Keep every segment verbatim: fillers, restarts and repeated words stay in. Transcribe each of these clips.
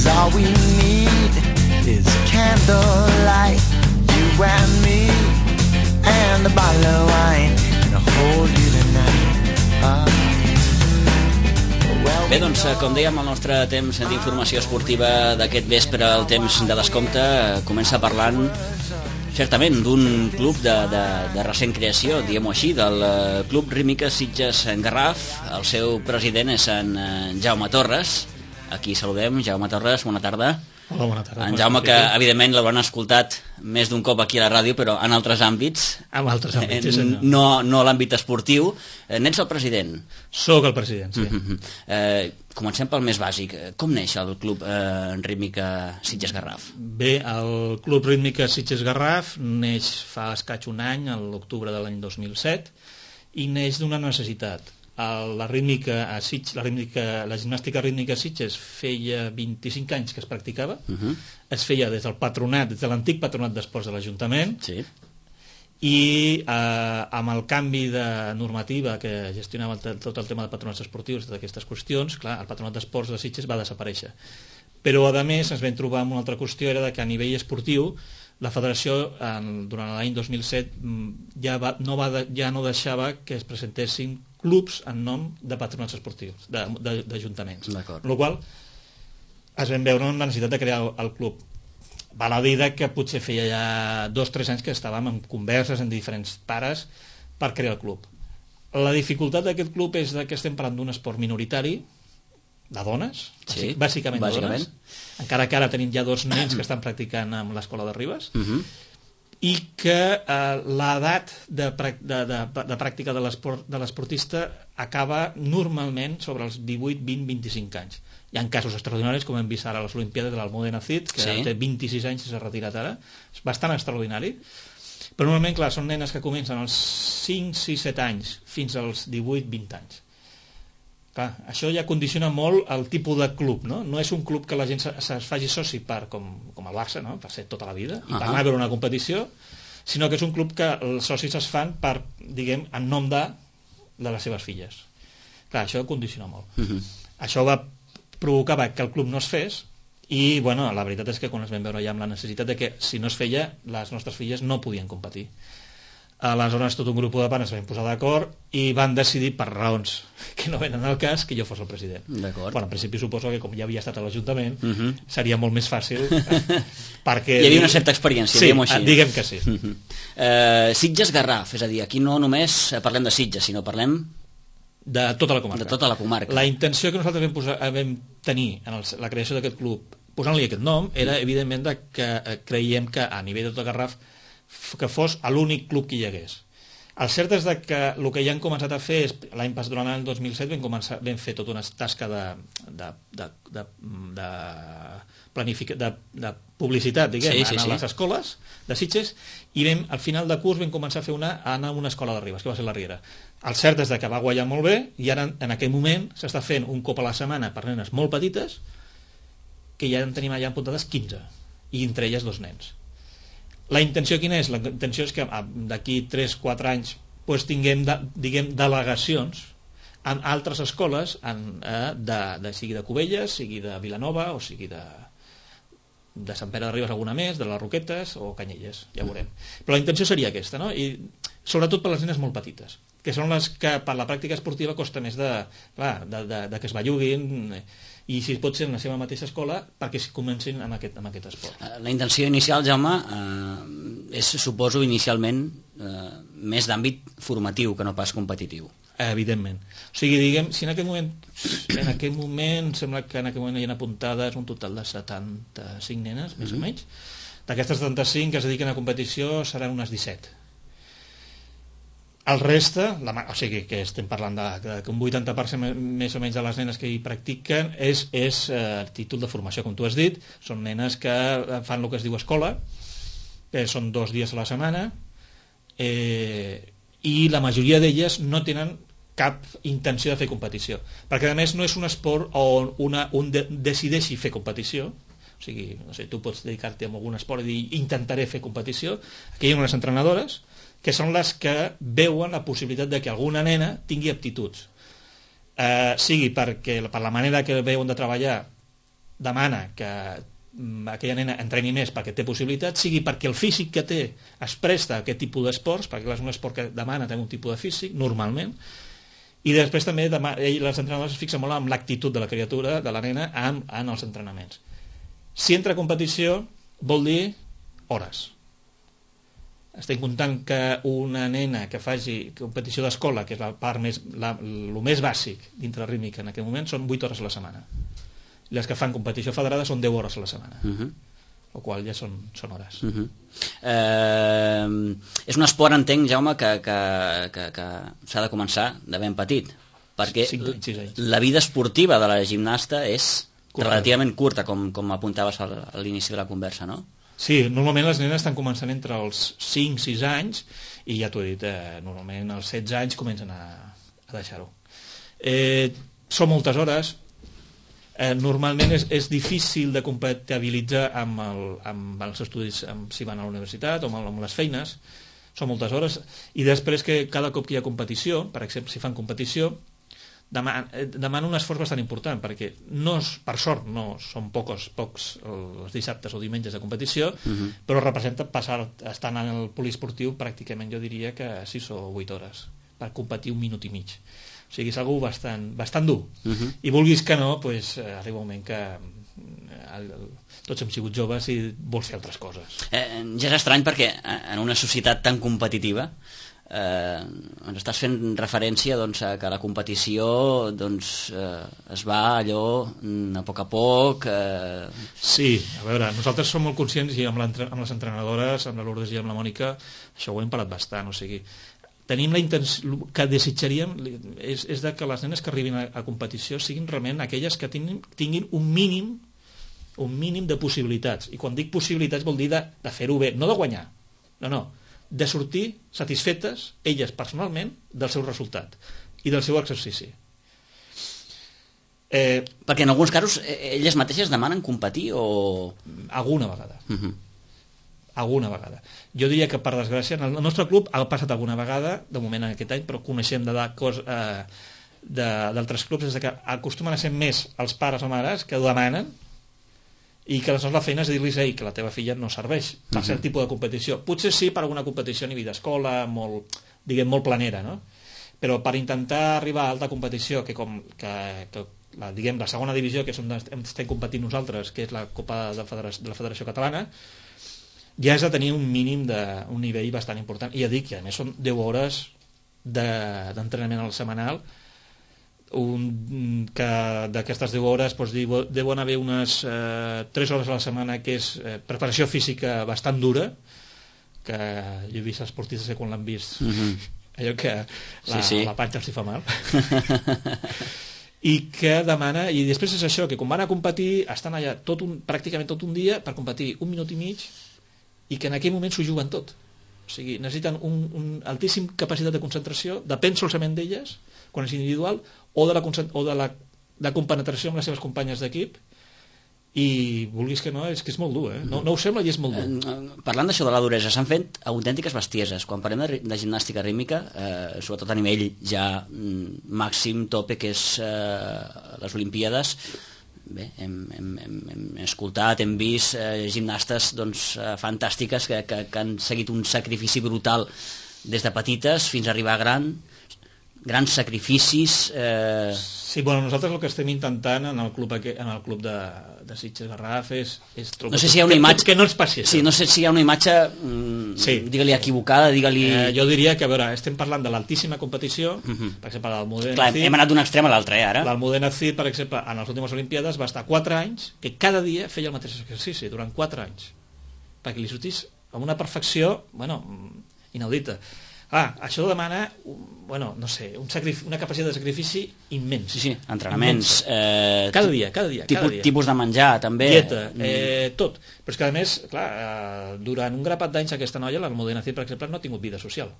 'cause all we need is candlelight, you and me, and a bottle of wine, and I'll hold you tonight. Oh. Bé, doncs, com dèiem, el nostre temps d'informació esportiva d'aquest vespre, el temps de descompte, comença parlant certament d'un club de, de, de recent creació, diguem-ho així, del Club Rítmica Sitges Garraf. El seu president és en Jaume Torres. Aquí saludem. Jaume Torres, bona tarda. Hola, bona tarda. En Jaume, que evidentment l'hauran escoltat més d'un cop aquí a la ràdio, però en altres àmbits. En altres àmbits, sí, senyor. No, no l'àmbit esportiu. N'ets el president? Soc el president, sí. Mm-hmm. eh, comencem pel més bàsic. Com neix el Club eh, Rítmica Sitges Garraf? Bé, el Club Rítmica Sitges Garraf neix fa escaig un any, a l'octubre de l'any dos mil set, i neix d'una necessitat. La rítmica a Sitges, la, rítmica, la gimnàstica rítmica a Sitges feia vint-i-cinc anys que es practicava, uh-huh. Es feia des del patronat, des de l'antic patronat d'esports de l'Ajuntament, sí. I eh, amb el canvi de normativa que gestionava el, tot el tema de patronats esportius, d'aquestes qüestions, clar, el patronat d'esports de Sitges va desaparèixer. Però a més ens vam trobar amb una altra qüestió, era que a nivell esportiu la federació en, durant l'any dos mil set ja, va, no va de, ja no deixava que es presentessin clubs en nom de patronats esportius, d'ajuntaments. Amb la qual es vam veure una necessitat de crear el, el club. Val a dir que potser feia ja dos o tres anys que estàvem en converses amb diferents pares per crear el club. La dificultat d'aquest club és que estem parlant d'un esport minoritari, de dones, sí, bàsicament, bàsicament de dones, encara que ara tenim ja dos nens que estan practicant amb l'escola de Ribes, uh-huh. I que eh, l'edat de, de, de, de pràctica de l'esportista acaba normalment sobre els divuit, vint, vint-i-cinc anys. Hi ha casos extraordinaris, com hem vist ara a les Olimpiades de l'Almudena Cid, que sí. Té vint-i-sis anys i s'ha retirat ara. És bastant extraordinari. Però normalment, clar, són nenes que comencen als cinc, sis, set anys fins als divuit, vint anys. Clar, això ja condiciona molt el tipus de club, no? No és un club que la gent es faci soci per, com, com el Barça, no? Per ser tota la vida, i per anar a veure una competició, sinó que és un club que els socis es fan per, diguem, en nom de, de les seves filles. Clar, això condiciona molt. Uh-huh. Això va provocar que el club no es fes, i bueno, la veritat és que quan es vam veure ja amb la necessitat de que si no es feia, les nostres filles no podien competir. Aleshores tot un grup de pares es van posar d'acord i van decidir, per raons que no venen al cas, que jo fos el president. Bueno, en principi suposo que com ja havia estat a l'Ajuntament, uh-huh. Seria molt més fàcil perquè... Hi havia una certa experiència, sí, diguem-ho així. Diguem que sí. Uh-huh. uh, Sitges Garraf, és a dir, aquí no només parlem de Sitges, sinó parlem... De tota la comarca. De tota la comarca. La intenció que nosaltres vam, posar, vam tenir en el, la creació d'aquest club, posant-li aquest nom, era evidentment de que creiem que a nivell de tot Garraf que fos l'únic club que hi hagués. El cert és que el que ja han començat a fer és, l'any passat, durant l'any dos mil set vam, començar, vam fer tota una tasca de, de, de, de, de, planific... de, de publicitat, diguem, sí, sí, a les sí. escoles de Sitges, i vam, al final de curs vam començar a fer una, a anar a una escola de Ribes, que va ser la Riera. El cert és que va guanyar molt bé, i ara en aquell moment s'està fent un cop a la setmana per nenes molt petites, que ja en tenim allà apuntades quinze, i entre elles dos nens. La intenció quina és? La intenció és que d'aquí tres o quatre anys pues, tinguem de, diguem, delegacions en altres escoles, en, eh, de, de, sigui de Cubelles, sigui de Vilanova, o sigui de, de Sant Pere de Ribes alguna més, de les Roquetes o Canyelles, ja veurem. Però la intenció seria aquesta, no? I sobretot per les nenes molt petites, que són les que per la pràctica esportiva costa més de, clar, de, de, de que es belluguin, i si pot ser en la seva mateixa escola perquè comencin amb aquest, amb aquest esport. La intenció inicial, Jaume, eh, és, suposo, inicialment eh, més d'àmbit formatiu que no pas competitiu. Evidentment. O sigui, diguem, si en aquell moment, en aquell moment, sembla que en aquell moment hi ha apuntades un total de setanta-cinc nenes, més mm-hmm. o menys. D'aquestes setanta-cinc que es dediquen a competició seran unes disset. El reste, la, o sigui que estem parlant de, de que un vuitanta per cent més o menys de les nenes que hi practiquen és, és eh, títol de formació, com tu has dit. Són nenes que fan el que es diu escola, que són dos dies a la setmana, eh, i la majoria d'elles no tenen cap intenció de fer competició, perquè a més no és un esport on una, un de, decideixi fer competició. O sigui, no sé, tu pots dedicar-te a algun esport i dir intentaré fer competició. Aquí hi ha unes entrenadores que són les que veuen la possibilitat de que alguna nena tingui aptituds, eh, sigui perquè per la manera que veuen de treballar demana que aquella nena entreni més perquè té possibilitats, sigui perquè el físic que té es presta a aquest tipus d'esports, perquè és un esport que demana tenir un tipus de físic, normalment, i després també demana, ell, les entrenadores es fixen molt en l'actitud de la criatura, de la nena, en, en els entrenaments. Si entra a competició, vol dir hores. Estem comptant que una nena que faci competició d'escola, que és la part més, la, el més bàsic dintre la rítmica en aquest moment, són vuit hores a la setmana. Les que fan competició federada són deu hores a la setmana. Uh -huh. O qual ja són, són hores. Uh -huh. eh, és un esport, entenc, Jaume, que, que, que, que s'ha de començar de ben petit, perquè cinc, sis anys. La vida esportiva de la gimnasta és curta. Relativament curta, com, com apuntaves a l'inici de la conversa, no? Sí, normalment les nenes estan començant entre els cinc sis anys i ja t'ho he dit, eh, normalment als setze anys comencen a, a deixar-ho. Eh, són moltes hores. Eh, normalment és, és difícil de compatibilitzar amb, el, amb els estudis, amb, si van a la universitat o amb, amb les feines. Són moltes hores, i després que cada cop que hi ha competició, per exemple, si fan competició, demana, demana un esforç bastant important, perquè no és, per sort no són pocs, pocs els dissabtes o diumenges de competició, uh-huh. però representa passar, estar en el poliesportiu pràcticament, jo diria que sis o vuit hores per competir un minut i mig. O sigui, és algú bastant, bastant dur. Uh-huh. I vulguis que no, pues, arriba un moment que el, el, tots hem sigut joves i vols fer altres coses. Eh, ja és estrany perquè en una societat tan competitiva eh, ens estàs fent referència, doncs, a que la competició, doncs, eh, es va allò a poc a poc. Eh... Sí, a veure, nosaltres som molt conscients, i amb, amb les entrenadores, amb la Lourdes i amb la Mònica, això ho hem parlat bastant, o sigui, tenim la intenció, que desitjaríem és, és de que les nenes que arribin a, a competició siguin realment aquelles que tinguin, tinguin un mínim un mínim de possibilitats, i quan dic possibilitats vol dir de, de fer-ho bé, no de guanyar, no, no, de sortir satisfetes elles personalment del seu resultat i del seu exercici. Eh, perquè en alguns casos elles mateixes demanen competir o... Alguna vegada. Uh-huh. Alguna vegada. Jo diria que, per desgràcia, en el nostre club ha passat alguna vegada, de moment en aquest any, però coneixem de cos, eh, d'altres clubs, és que acostumen a ser més els pares o mares que ho demanen, i que aleshores la feina és dir-los ei, que la teva filla no serveix per uh-huh. cert tipus de competició. Potser sí per alguna competició a nivell d'escola, molt, diguem, molt planera, no? Però per intentar arribar a alta competició, que com que, que la, diguem, la segona divisió, que és on estem competint nosaltres, que és la Copa de, Federació, de la Federació Catalana, ja has de tenir un mínim de, un nivell bastant important, i ja dic que a més són deu hores d'entrenament de, al setmanal, un, que d'aquestes deu hores doncs, deuen haver unes eh, tres hores a la setmana que és eh, preparació física bastant dura, que jo he vist esportistes que quan l'han vist uh-huh. allò que la, sí, sí. la panxa els hi fa mal i que demana, i després és això, que quan van a competir estan allà tot un, pràcticament tot un dia per competir un minut i mig, i que en aquell moment s'ho juguen tot, o sigui, necessiten un, un altíssim capacitat de concentració, depèn solament d'elles quan és individual, o de la, o de la de compenetració amb les seves companyes d'equip, i vulguis que no, és que és molt dur, eh? no, no ho sembla i és molt dur. Parlant d'això de la duresa, s'han fet autèntiques bestieses. Quan parlem de, de gimnàstica rítmica, eh, sobretot a nivell ja mm, màxim, tope, que és eh, les Olimpíades, bé, hem, hem, hem, hem escoltat, hem vist eh, gimnastes doncs, eh, fantàstiques que, que, que han seguit un sacrifici brutal des de petites fins a arribar a gran, grans sacrificis. Eh... Sí, bueno, nosaltres el que estem intentant en el club, en el club de, de Sitges Garraf és, és no sé si hi ha una imatge... que, que no ens passi això. Sí, no sé si hi ha una imatge, mm, sí. digue-li equivocada, digue-li... Eh, jo diria que, a veure, estem parlant de l'altíssima competició, uh-huh. per exemple, l'Almudena Clar, Cid... hem anat d'un extrem a l'altre, eh, ara. L'Almudena Cid, per exemple, en les últimes Olimpíades va estar quatre anys, que cada dia feia el mateix exercici, durant quatre anys, perquè li sortís amb una perfecció, bueno, inaudita. Ah, això demana, bueno, no sé, un sacrifici, una capacitat de sacrifici immens. Sí, sí, entrenaments. Eh, cada dia, cada dia. Tipus, cada dia. tipus de menjar, també. Dieta, eh, tot. Però és que, a més, clar, eh, durant un grapat d'anys aquesta noia, l'Almudena Cid, per exemple, no ha tingut vida social.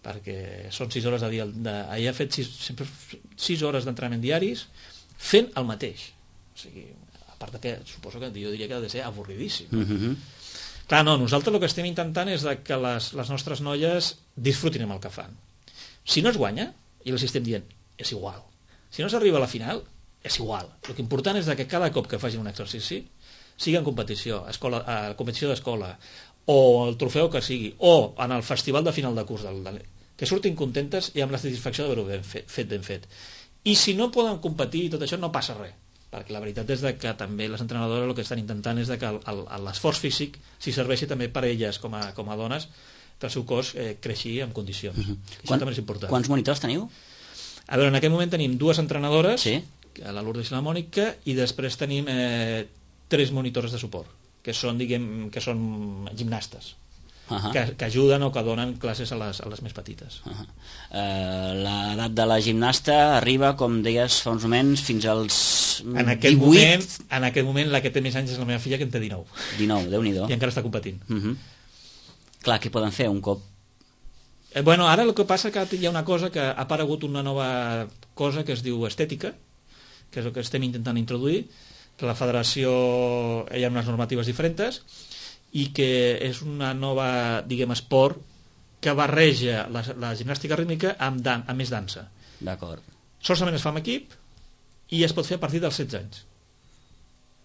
Perquè són sis hores de dia. De, ella ha fet sis, sempre sis hores d'entrenament diaris fent el mateix. O sigui, a part de que suposo que jo diria que ha de ser avorridíssim. Mhm. Clar, no, nosaltres el que estem intentant és que les, les nostres noies disfrutin amb el que fan. Si no es guanya, i els estem dient, és igual. Si no s'arriba a la final, és igual. El que important és que cada cop que facin un exercici, sigui en competició, escola, eh, competició d'escola, o el trofeu que sigui, o en el festival de final de curs, del, del, que surtin contentes i amb la satisfacció d'haver-ho ben fet, fet ben fet. I si no poden competir i tot això, no passa res, perquè la veritat és de que també les entrenadores el que estan intentant és de que l'esforç físic si serveixi també per a elles com a, com a dones, que el seu cos eh, creixi en condicions. Uh -huh. Això Quan, també és important. Quants monitors teniu? A veure, en aquest moment tenim dues entrenadores, Sí. la Lourdes i la Mònica, i després tenim eh, tres monitores de suport, que són, diguem, que són gimnastes, uh -huh. que, que ajuden o que donen classes a les, a les més petites. Uh -huh. uh, L'edat de la gimnasta arriba, com deies fa uns moments, fins als en aquest divuit... moment, en aquest moment la que té més anys és la meva filla, que en té dinou. dinou, Déu-n'hi-do. I encara està competint. Uh -huh. Clar, què poden fer un cop? Eh, bueno, ara el que passa que hi ha una cosa que ha aparegut una nova cosa que es diu estètica, que és el que estem intentant introduir, que la federació hi ha unes normatives diferents i que és una nova, diguem, esport que barreja la, la gimnàstica rítmica amb, dan, amb més dansa. D'acord. Solament es fa amb equip i es pot fer a partir dels setze anys.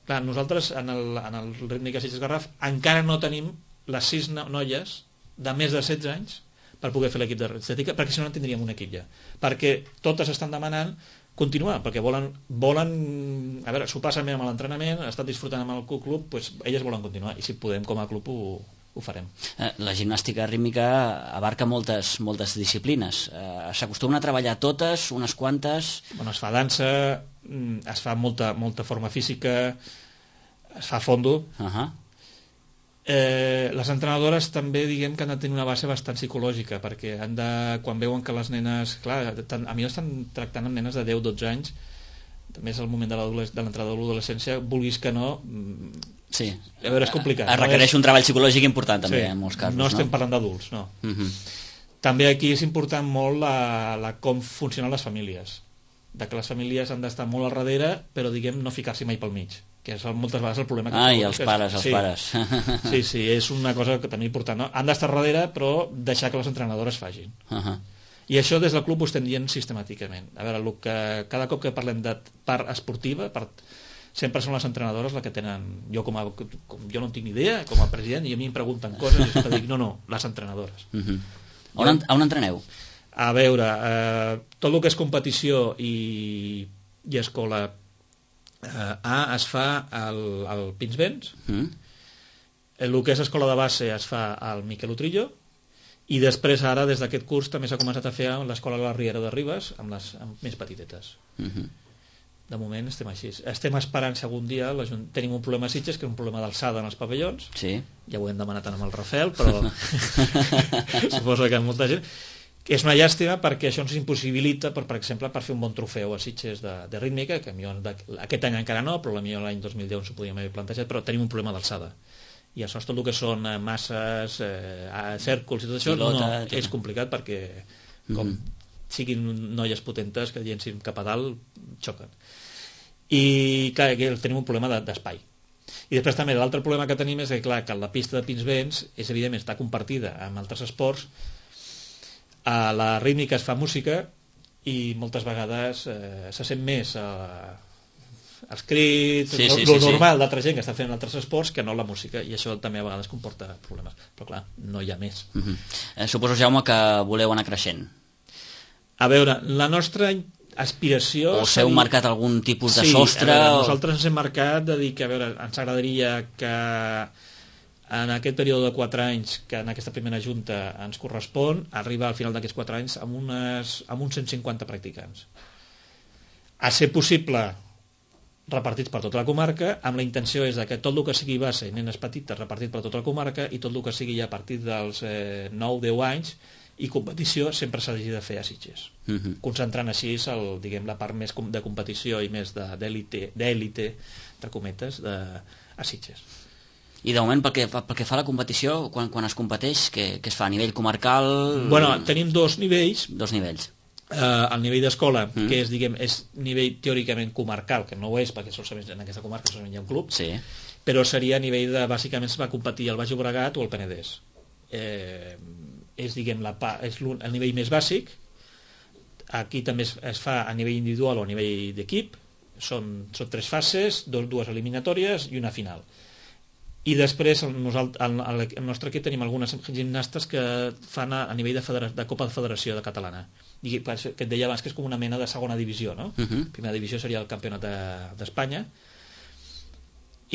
Clar, nosaltres en el, en el Rítmica Sitges Garraf encara no tenim les sis noies de més de setze anys per poder fer l'equip d'estètica, perquè si no en tindríem un equip ja. Perquè totes estan demanant continuar, perquè volen, volen a veure, s'ho passen bé amb l'entrenament, estan disfrutant amb el club, doncs elles volen continuar, i si podem com a club ho, ho farem. La gimnàstica rítmica abarca moltes, moltes disciplines. S'acostumen a treballar totes, unes quantes... Bueno, es fa dansa, es fa molta, molta forma física, es fa fondo... Uh -huh. Eh, les entrenadores també diguem que han de tenir una base bastant psicològica, perquè han de, quan veuen que les nenes, clar, tant, a mi estan tractant amb nenes de deu dotze anys, també és el moment de l'entrada de l'adolescència, vulguis que no, sí. A veure, és complicat. Es requereix no és... un treball psicològic important també, sí, en molts casos. No estem no? parlant d'adults, no. Uh -huh. També aquí és important molt la, la com funcionen les famílies, de que les famílies han d'estar molt al darrere, però diguem no ficar-s'hi mai pel mig, que és moltes vegades el problema que... Ah, i els pares, els sí, pares. Sí, sí, és una cosa que també important, no? Han d'estar darrere, però deixar que les entrenadores facin. Uh -huh. I això des del club ho estem dient sistemàticament. A veure, el que, cada cop que parlem de part esportiva, part, sempre són les entrenadores les que tenen... Jo com a, com, jo no en tinc ni idea, com a president, i a mi em pregunten coses, i jo dic, no, no, les entrenadores. Uh -huh. on, on entreneu? A veure, eh, tot el que és competició i, i escola eh, A es fa al, al Pinsbens, Mm. el que és escola de base es fa al Miquel Utrillo, i després ara des d'aquest curs també s'ha començat a fer a l'escola de la Riera de Ribes amb les amb més petitetes. Uh -huh. De moment estem així. Estem esperant si algun dia tenim un problema a Sitges, que és un problema d'alçada en els pavellons. Sí. Ja ho hem demanat amb el Rafael, però suposo que molta gent... És una llàstima perquè això ens impossibilita, per, per exemple, per fer un bon trofeu a Sitges de, de rítmica, que millor, aquest any encara no, però potser l'any dos mil deu ens ho podíem haver plantejat, però tenim un problema d'alçada. I això, tot el que són masses, eh, cèrculs i tot això, Pilota, no, tot. És complicat perquè com mm. siguin noies potentes que llencin cap a dalt, xoquen. I clar, aquí tenim un problema d'espai. I després també l'altre problema que tenim és que, clar, que la pista de Pinsbens és evidentment està compartida amb altres esports. A la rítmica es fa música i moltes vegades eh, se sent més eh, els crits, sí, sí, lo sí, normal sí. d'altra gent que està fent altres esports que no la música, i això també a vegades comporta problemes, però clar, no hi ha més. Uh -huh. eh, suposo, Jaume, que voleu anar creixent. A veure, la nostra aspiració... O s'heu marcat algun tipus de sí, sostre? Veure, o... nosaltres ens hem marcat de dir que, a veure, ens agradaria que en aquest període de quatre anys que en aquesta primera junta ens correspon, arriba al final d'aquests quatre anys amb, unes, amb uns cent cinquanta practicants. A ser possible repartits per tota la comarca, amb la intenció és de que tot el que sigui base i nenes petites repartit per tota la comarca, i tot el que sigui ja a partir dels eh, nou deu anys i competició sempre s'ha de fer a Sitges. Uh -huh. Concentrant així el, diguem, la part més de competició i més d'èlite, d'èlite, entre cometes, de, a Sitges. I de moment, pel que fa, pel que fa a la competició, quan, quan es competeix, què, què es fa? A nivell comarcal? Bueno, tenim dos nivells. Dos nivells. Uh, el nivell d'escola, mm. que és, diguem, és nivell teòricament comarcal, que no ho és, perquè solament en aquesta comarca solament hi ha un club, sí. Però seria a nivell de, bàsicament, es va competir el Baix Llobregat o el Penedès. Eh, és, diguem, la, és el nivell més bàsic. Aquí també es, es fa a nivell individual o a nivell d'equip. són, són tres fases, dos, dues eliminatòries i una final. I després el, el, el, el nostre equip tenim algunes gimnastes que fan a, a nivell de, federa, de Copa de Federació de Catalana, i que et deia abans que és com una mena de segona divisió, no? Uh-huh. Primera divisió seria el campionat d'Espanya de,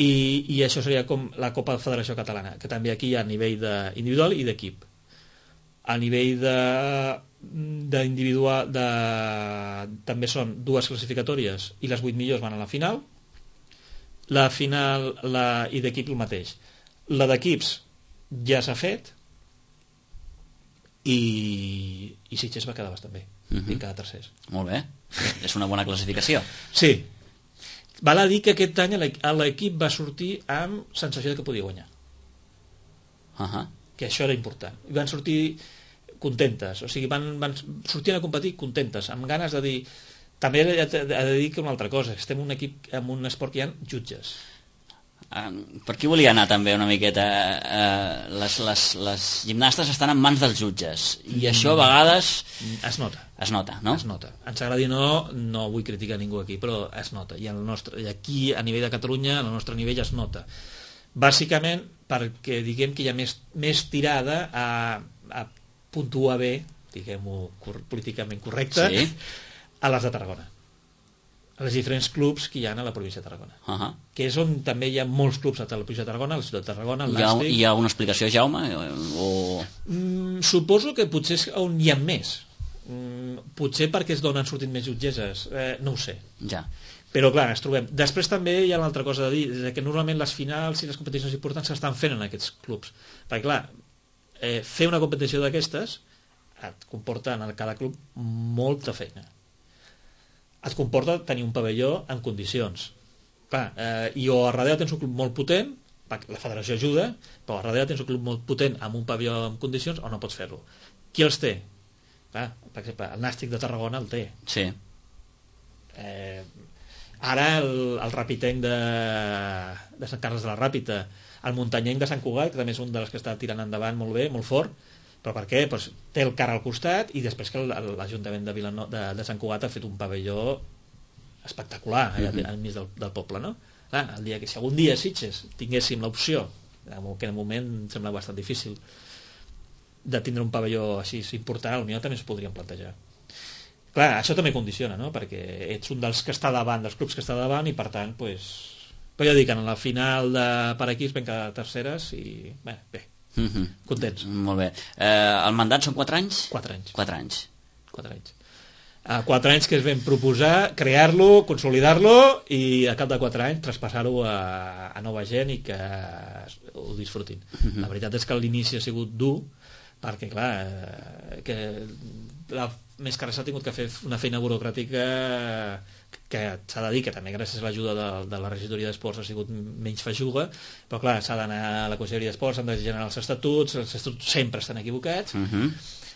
i, i això seria com la Copa de Federació Catalana, que també aquí hi ha a nivell de, individual i d'equip. A nivell de d'individual de, també són dues classificatòries i les vuit millors van a la final. La final la, i d'equip el mateix. La d'equips ja s'ha fet i, i Sitges va quedar bastant bé. Uh-huh. I quedar tercers. Molt bé, és una bona classificació. Sí. Val a dir que aquest any l'equip va sortir amb sensació de que podia guanyar. Uh-huh. Que això era important. I van sortir contentes, o sigui, van, van sortir a competir contentes, amb ganes de dir... També he de dir que una altra cosa, estem un equip amb un esport que hi ha jutges. Uh, per aquí volia anar també una miqueta. Uh, les, les, les gimnastes estan en mans dels jutges i mm. això a vegades... Es nota. Es nota, no? Es nota. Ens agradi o no, no vull criticar ningú aquí, però es nota. I, el nostre, i aquí, a nivell de Catalunya, al nostre nivell es nota. Bàsicament perquè diguem que hi ha més, més tirada a, a puntuar bé, diguem-ho políticament correcte, sí, a les de Tarragona, a les diferents clubs que hi ha a la província de Tarragona, uh-huh. que és on també hi ha molts clubs a la província de Tarragona, a la ciutat de Tarragona, hi ha, hi ha una explicació, Jaume? O... Mm, suposo que potser és on hi ha més, mm, potser perquè és d'on han sortit més jutgesses, eh, no ho sé, ja. Però clar, ens trobem. Després també hi ha una altra cosa a dir, és que normalment les finals i les competicions importants s'estan fent en aquests clubs, perquè clar, eh, fer una competició d'aquestes et comporta en cada club molta feina, et comporta tenir un pavelló en condicions. Clar, eh, i o a darrere tens un club molt potent, la federació ajuda, però a darrere tens un club molt potent amb un pavelló en condicions o no pots fer-lo. Qui els té? Clar, per exemple, el Nàstic de Tarragona el té. Sí. Eh, ara el, el rapitenc de, de Sant Carles de la Ràpita, el muntanyenc de Sant Cugat, que també és un dels que està tirant endavant molt bé, molt fort. Però per què? Pues té el car al costat i després que l'Ajuntament de, Vilano, de, de Sant Cugat ha fet un pavelló espectacular allà mm-hmm. al mig del, del poble, no? Clar, el dia que si algun dia a Sitges tinguéssim l'opció, que en el moment em sembla bastant difícil, de tindre un pavelló així important, potser també es podrien plantejar. Clar, això també condiciona, no? Perquè ets un dels que està davant, dels clubs que està davant, i per tant, pues... però ja dic, en la final de per equips vam quedar terceres i bé, bé. Mm-hmm. Contents. Molt bé. Eh, el mandat són quatre anys? Quatre anys. Quatre anys. Quatre anys. Uh, quatre anys que es vam proposar crear-lo, consolidar-lo i a cap de quatre anys traspassar-ho a, a nova gent i que ho disfrutin. Mm-hmm. La veritat és que l'inici ha sigut dur perquè, clar, eh, que la més que res ha tingut que fer una feina burocràtica que s'ha de dir que també gràcies a l'ajuda de, de la regidoria d'esports ha sigut menys feixuga, però clar, s'ha d'anar a la conselleria d'esports, s'han de generar els estatuts, els estatuts sempre estan equivocats, uh-huh.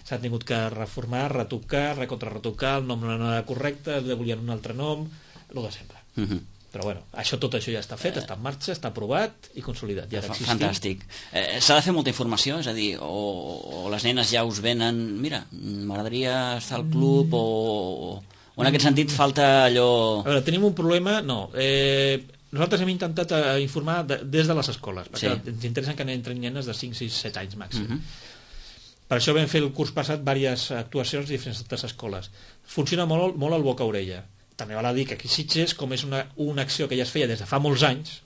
s'han tingut que reformar, retocar, recontrarretocar, el nom no era correcte, volien un altre nom, el de sempre. Uh-huh. Però bueno, això, tot això ja està fet, està en marxa, està aprovat i consolidat. Ja Fantàstic. Eh, S'ha de fer molta informació, és a dir, o, o les nenes ja us venen, mira, m'agradaria estar al club, mm. o, o en aquest sentit falta allò... A veure, tenim un problema, no. Eh, nosaltres hem intentat eh, informar de, des de les escoles, perquè sí. ens interessa que entren nenes de cinc, sis, set anys màxim. Mm-hmm. Per això vam fer el curs passat diverses actuacions a diferents escoles. Funciona molt, molt el boca-orella. També val a dir que aquí Sitges, com és una, una acció que ja es feia des de fa molts anys,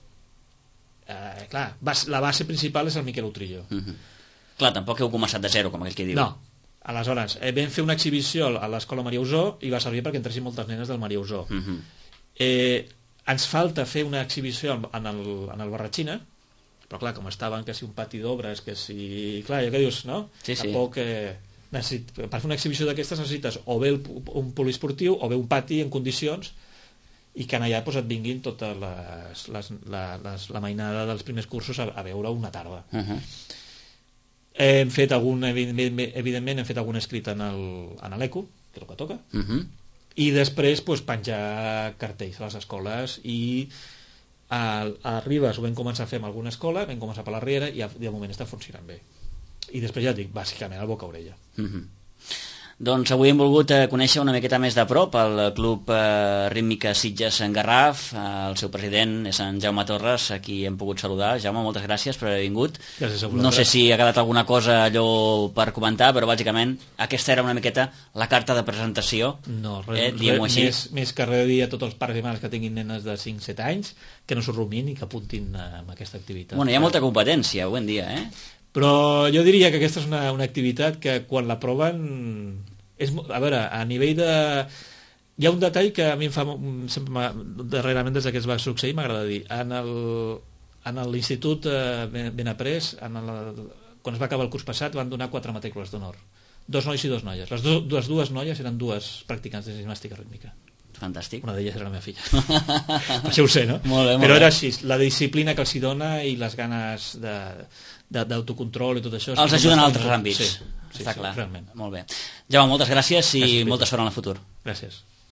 eh, clar, bas, la base principal és el Miquel Utrillo. Mm-hmm. Clar, tampoc heu començat de zero, com aquell que diu. No, aleshores, eh, vam fer una exhibició a l'escola Maria Usó i va servir perquè entressin moltes nenes del Maria Usó. Mm-hmm. eh, ens falta fer una exhibició en el, en el Barratxina, però clar, com estaven que si un pati d'obres, que si... Clar, ja que dius, no? Sí, sí. Tampoc... Eh, Necessit, per fer una exhibició d'aquestes necessites o bé el, un poliesportiu o bé un pati en condicions i que allà doncs, et vinguin totes les, les, la, les, la mainada dels primers cursos a, a veure una tarda. Uh-huh. Hem fet algun, evidentment, evidentment hem fet algun escrit en l'ECO, que és el que toca, uh-huh. i després doncs, penjar cartells a les escoles i a, a Ribes ho vam començar a fer en alguna escola, vam començar per la Riera i de moment està funcionant bé. I després ja dic, bàsicament el boca-orella. Mm-hmm. Doncs avui hem volgut eh, conèixer una miqueta més de prop el Club eh, Rítmica Sitges en Garraf. Eh, el seu president és en Jaume Torres, a qui hem pogut saludar. Jaume, moltes gràcies per haver vingut. Gràcies a vosaltres. No sé si ha quedat alguna cosa allò per comentar, però bàsicament aquesta era una miqueta la carta de presentació. No, res, eh, diguem-ho així. Més, més que res dir a tots els pares i mares que tinguin nenes de cinc set anys que no s'ho rumin i que apuntin a aquesta activitat. Bueno, hi ha molta competència avui en dia, eh? Però jo diria que aquesta és una, una activitat que quan la proven és, a veure, a nivell de... Hi ha un detall que a mi em fa sempre, darrerament des que es va succeir, m'agrada dir. En el, en l'institut eh, Benaprés, en el, quan es va acabar el curs passat, van donar quatre matrícules d'honor. Dos nois i dos noies. Les, do, les dues noies eren dues practicants de gimnàstica rítmica. Fantàstic. Una d'elles era la meva filla. Això ho sé, no? Molt bé, molt Però bé. era així, la disciplina que els hi dona i les ganes de, de, d'autocontrol i tot això. Els ajuden en altres àmbits. Sí, sí, està sí, clar. realment. Molt bé. Jaume, moltes gràcies i Gràcies, molta sort en el futur. Gràcies.